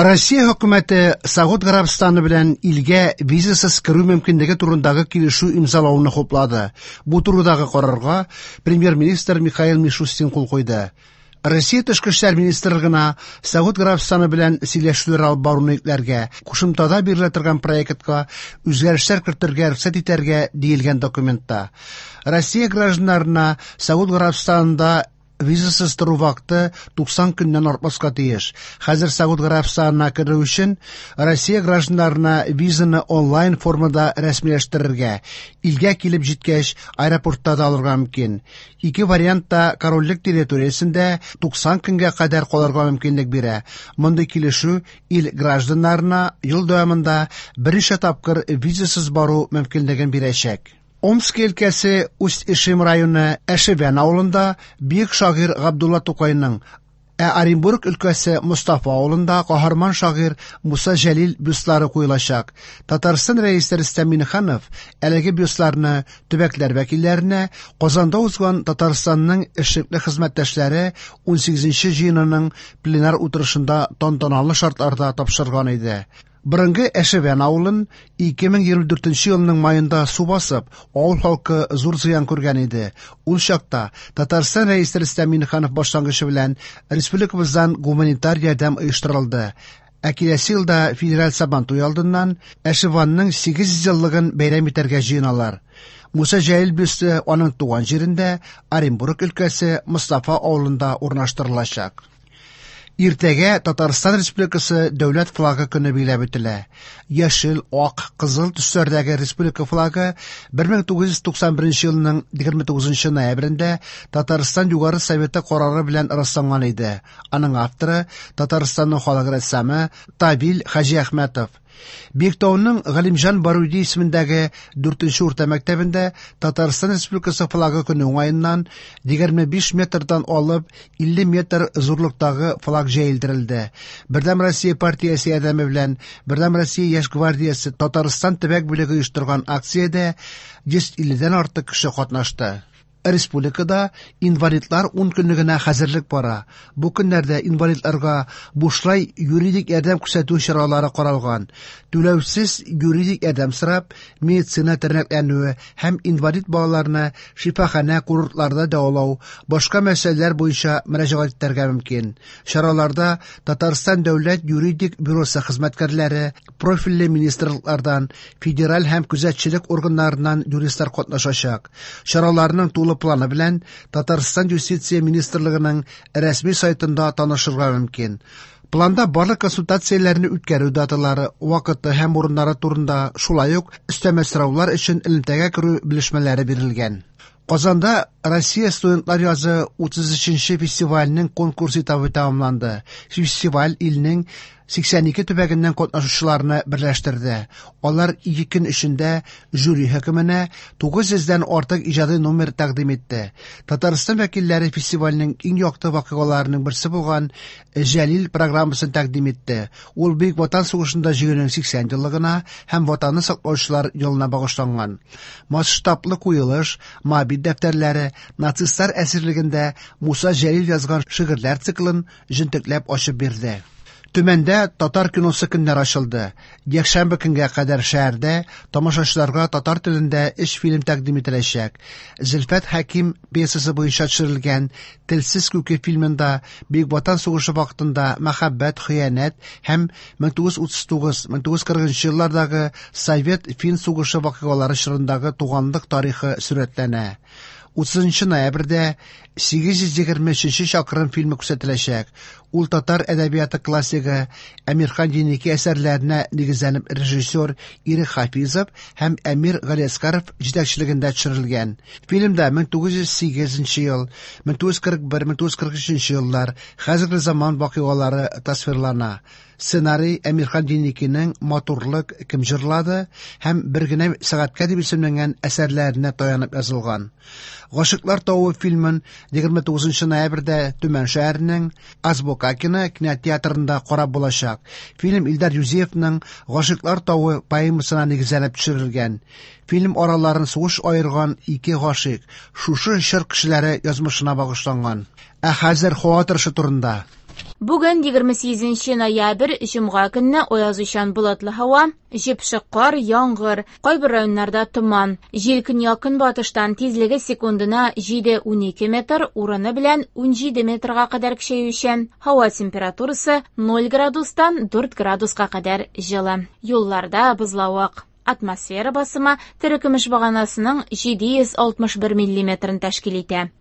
Россия хөкүмәте Согуд Гарәбстаны белән илгә визасыз керү мөмкинлеге турындагы килешү имзалауны хуплады. Бу турыдагы карарга премьер-министр Михаил Мишустин кул куйды. Россия Тышкы эшләр министрлыгына Согуд Гарәбстаны белән сөйләшүләр алып баруны йөкләргә, кушымтада бирелә торган проектка үзгәрешләр кертергә рөхсәт итәргә диелгән документта. Россия гражданнарына Согуд Гарәбстанында визасыз тору вакыты 90 көннән артмаска тиеш. Хәзер Согуд Гарәбстанына керү өчен Россия гражданнарына визаны онлайн формада рәсмиләштерергә, илгә килеп җиткәч аэропортта да алырга мөмкин. Ике вариант та корольлек территориясендә 90 көнгә кадәр калырга мөмкинлек бирә. Мондый килешү ил гражданнарына ел дәвамында берничә тапкыр визасыз бару мөмкинлеген бирәчәк. Омск өлкәсе Усть-Ишим районы Әшевән авылында бөек шагыйрь Габдулла Тукайның, ә Оренбург өлкәсе Мостафа авылында каһарман шагыйрь Муса Җәлил бюстлары куелачак. Татарстан Рәисе Рөстәм Миңнеханов әлеге бюстларны төбәкләр вәкилләренә Казанда узган Татарстанның эшлекле хезмәттәшләре 18нче җыенының пленар утырышында тантаналы шартларда тапшырган иде. Борынгы Әшевән авылын 2024 елның маенда су басып, авыл халкы зур зыян күргән иде. Ул чакта Татарстан Рәисе Рөстәм Миңнеханов башлангычы белән республикабыздан гуманитар ярдәм оештырылды. Ә киләсе елда федераль Сабантуй алдыннан Әшеванның 800 еллыгын бәйрәм итәргә җыеналар. Муса Җәлил бюсты аның туган җирендә, Оренбург өлкәсе Мостафа авылында урнаштырылачак. Иртәгә Татарстан Республикасы Дәүләт флагы көне билгеләп үтелә. Яшел, ак, кызыл төсләрдәге республика флагы 1991 елның 29 ноябрендә Татарстан Югары Советы карары белән расланган иде. Аның авторы Татарстанның халык рәссамы Тавил Хаҗиәхмәтов. Биектауның Галимҗан Баруди исемендәге 4нче урта мәктәбендә Татарстан Республикасы флагы көне уңаеннан 25 метрдан алып 50 метр зурлыктагы флаг җәелдерелде. Бердәм Россия партиясе ярдәме белән Бердәм Россия яшь гвардиясе Татарстан төбәк бүлеге оештырган акциядә 150дән артык кеше катнашты. Республикада инвалидлар 10 көнлегенә хәзерлек бара. Бу көннәрдә инвалидларга бушлай юридик ярдәм күрсәтү чаралары каралган. Түләүсез юридик ярдәм сорап, медицина тернәкләнүе һәм инвалид балаларны шифаханә курортларда дәвалау, башка мәсьәләләр буенча мөрәҗәгать итәргә мөмкин. Чараларда Татарстан дәүләт юридик бюросы хезмәткәрләре, профильле министрлыклардан, федераль һәм күзәтчелек органнарыннан юристлар катнашачак. Чараларның тулы планы белән Татарстан Юстиция министрлыгының рәсми сайтында танышырга мөмкин. Планда барлык консультацияләрне үткәрү даталары, вакыты һәм урыннары турында, шулай ук өстәмә сораулар өчен элемтәгә керү белешмәләре бирелгән. Казанда Россия студентлар язы 33нче фестиваленең конкурс этабы тәмамланды. Фестиваль илнең 82 төбәгеннән катнашучыларны берләштерде. Алар ике көн эчендә жюри хөкеменә 900дән артык иҗади номер тәкъдим итте. Татарстан вәкилләре фестивальнең иң якты вакыйгаларының берсе булган Җәлил программасын тәкъдим итте. Ул Бөек Ватан сугышында җиңүнең 80 еллыгына һәм Ватанны саклаучылар елына багышланган. Масштаблы куелыш, Моабит дәфтәрләре, нацистлар әсирлегендә Муса Җәлил язган шигырьләр циклын җентекләп ачып бирде. Төмәндә татар киносы көннәр ачылды. Якшәмбе көнгә кадәр шәһәрдә тамашачыларга татар телендә өч фильм тәкъдим ителәчәк. Зөлфәт Хәким пьесасы буенча төшерелгән Телсез күке фильмында Бөек Ватан сугышы вакытында мәхәббәт, хыянәт һәм 1939-1940 еллардагы Совет-фин сугышы вакыйгалары чорындагы туганлык тарихы сурәтләнә. 30 ноябрьдә 823 чакрым фильмы күрсәтеләчәк. Ул татар әдәбияты классигы Әмирхан Еники әсәрләренә нигезләнеп режиссер Ирек Хафизов һәм Әмир Галиәскаров җитәкчелегендә төшерелгән. Фильмда 1908 ел, 1941-1943 еллар хәзерге заман вакыйгалары тасвирлана. Сценарий Әмирхан Еникинең Матурлык кем җырлады һәм Бер генә сәгатькә дип исемләнгән әсәрләренә таянып язылган. Гашыйклар тавы фильмын 29 ноябрьдә Төмән шәһәренең Азбукакино кинотеатрында карап булачак. Фильм Илдар Юзеевның Гашыйклар тавы поэмасына нигезләнеп төшерелгән. Фильм араларын сугыш аерган ике гашыйк, шушы чор кешеләре язмышына багышланган. Ә хәзер һава торышы турында. Бүген 28 ноябрь, җомга көнне аязучан болытлы һава, җепшек кар, яңгыр, кайбер районнарда томан. Җил көньяк-көнбатыштан тизлеге секундына 7-12 метр, урыны белән 17 метрга кадәр көчәючән. Һава температурасы 0 градустан 4 градуска кадәр җылы. Юлларда бозлавык. Атмосфера басымы терекөмеш баганасының 761 миллиметрын тәшкил итә.